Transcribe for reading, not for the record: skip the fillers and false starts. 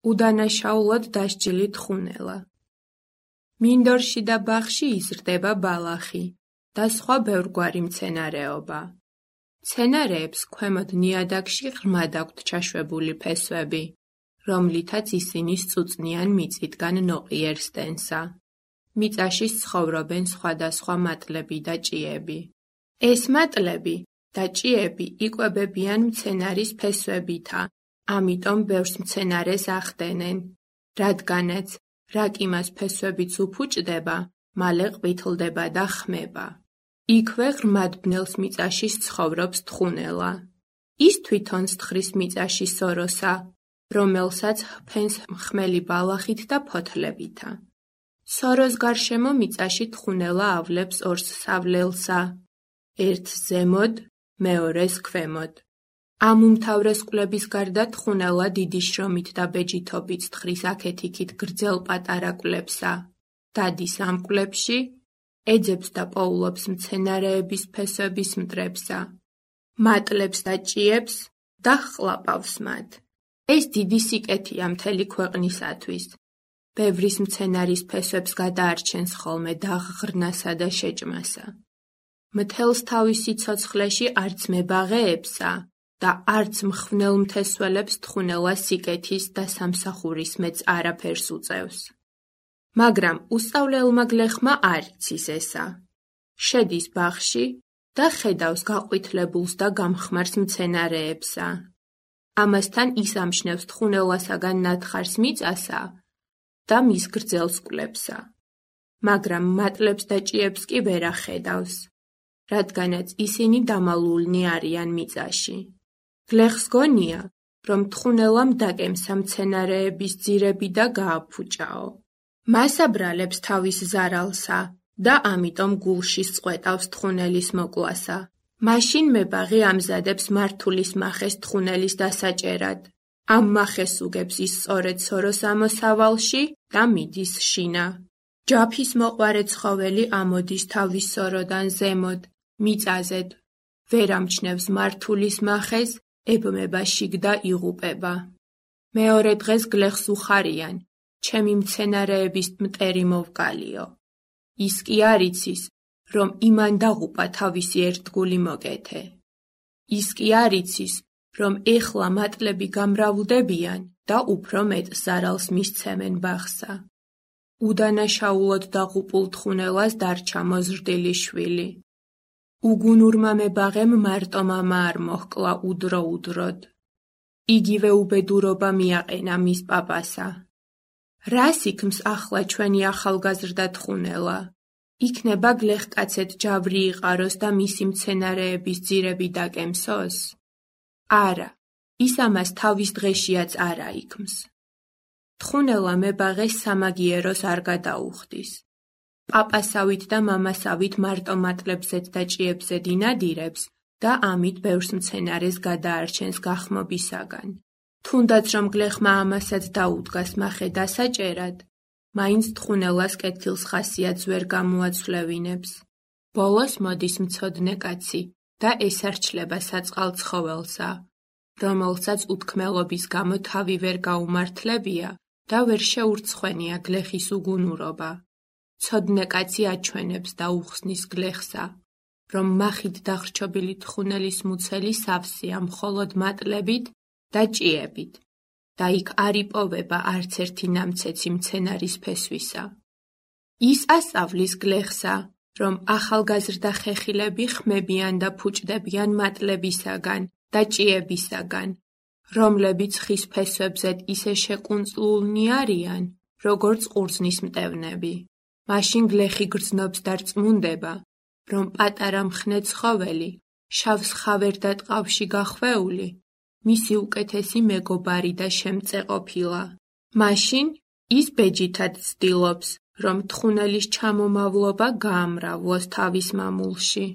უდანაშაულად დასჯილი თხუნელა. მინდორში და ბაღში იზრდება ბალახი და სხვა ბევრგვარი მცენარეობა. მცენარეებს ქვემოთ ნიადაგში ღრმად აქვთ ჩაშვებული ფესვები, რომლითაც ისინი სწუწნიან მიწისგან ნოყიერ სტენსა. მიწაში ცხოვრობენ სხვადასხვა მატლები და ჭიები. ეს მატლები და ჭიები იკვებებიან მცენარის ფესვებითა, ამიტომ ბევრს მცენარეს ახდენენ, რადგანაც რაკ იმას ფესვებიც უფუჭდება, მალე ყვითლდება და ხმება. იქვე ღრმად ბნელს მიწაში ცხოვრობს თხუნელა. ის თვითონ სთხრის მიწაში სოროსა, რომელსაც ჰფენს ხმელი ბალახით და ფოთლებითა. სოროს გარშემო მიწაში თხუნელა ავლებს ორს სავლელსა, ერთს ზემოთ, მეორეს ქვემოთ. ამ უმთავრეს კვლების გარდა თხუნელა დიდი შრომით და ბეჯითობით სთხრის აქეთ-იქით გრძელ პატარა კვლებსა. დადის ამ კვლებში, ეძებს და პოულობს მცენარეების ფესვების მტრებსა, მატლებს და ჭიებს და ჰყლაპავს მათ. ეს დიდი სიკეთეა მთელი ქვეყნისათვის. ბევრის მცენარის ფესვებს გადაარჩენს ხოლმე დაღღრნასა და შეჭმასა. მთელს თავის სიცოცხლეში არც მებაღეებსა და არც მხვნელ მთესველებს თხუნელა სიკეთის და სამსახურის მეც არაფერს უწევს. მაგრამ უსწავლელმა გლეხმა არ იცის ესა. შედის ბაღში და ხედავს გაყვითლებულს და გამხმარს მცენარეებსა. ამასთან ის ამშნევს თხუნელასაგან ნათხარს მიწასა და მის გრძელს კვლევსა. მაგრამ მატლებს და ჭიებს კი ვერ ახედავს, რადგანაც ისინი დამალულნი არიან მიწაში. გლეხს გონია, რომ თხუნელამ დაკემსა მცენარეების ძირები და გააფუჭაო. მას აბრალებს თავის ზარალსა და ამიტომ გულში სწყვეტავს თხუნელის მოკლასა. მაშინ მებაღი ამზადებს მართულის მახეს თხუნელის დასაჭერად. ამ მახეს უგებს ის სწორედ სოროს ამოსავალში და მიდის შინა. ჯაფის მოყვარე ცხოველი ამოდის თავის სოროდან ზემოთ, მიწაზედ. ვერ ამჩნევს მართულის მახეს, ებმება შიგ და იღუპება. მეორე დღეს გლეხს უხარიან, ჩემი მცენარეების მტერი მოვკალიო. ის კი არ იცის, რომ იმან დაღუპა თავისი ერთგული მოკეთე. ის კი არ იცის, რომ ეხლა მატლები გამრავლდებიან და უფრო მეტ ზარალს მისცემენ ბაღსა. უდანაშაულად დაღუპულ თხუნელას დარჩა მოზრდილი შვილი. უგუნურმა მებაღემ მარტო მამა არ მოჰკლა უდრო-უდროდ. იგივე უბედურობა მიაყენა მის პაპასა. რას იქმს ახლა ჩვენი ახალგაზრდა თხუნელა? იქნება გლეხკაცეთ ჯავრი იყაროს და მისი მცენარეების ძირები დაკემსოს? არა, ის ამას თავის დღეშიაც არ აიქმს. თხუნელა მებაღეს სამაგიეროს არ გადაუხდის. პაპასავით და მამასავით მარტო მატლებზეც და ჭიებზედ ინადირებს და ამით ბევრს მცენარეს გადაარჩენს გახმობისაგან. თუნდაც რომ გლეხმა ამასაც დაუდგას მახე დასაჭერად, მაინც თხუნელას კეთილს ხასიათს ვერ გამოაცვლევინებს. ბოლოს მოდის მცოდნე კაცი და ესარჩლება საწყალ ცხოველსა, რომელსაც უთქმელობის გამო თავი ვერ გაუმართლებია და ვერ შეურცხვენია გლეხის უგუნურობა. მცოდნე კაცი აჩვენებს და უხსნის გლეხსა, რომ მახით დაღრჩობილი თხუნელის მუცელი სავსეა მხოლოდ მატლებით და ჭიებით და იქ არ იპოვება არც ერთი ნამცეცი მცენარის ფესვისა. ის ასწავლის გლეხსა, რომ ახალგაზრდა ხეხილები ხმებიან და ფუჭდებიან მატლებისაგან და ჭიებისაგან, რომლებიც ხის ფესვებზედ ისე შეკუნწლულნი არიან, როგორც ყურძნის მტევნები. მაშინ გლეხი გრძნობს და რწმუნდება, რომ პატარა მხნე ცხოველი, შავს ხავერდა ტყავში გახვეული, მისი უკეთესი მეგობარი და შემწე ყოფილა. მაშინ ის ბეჯითად ცდილობს, რომ თხუნელის ჩამომავლობა გაამრავლოს თავის მამულში.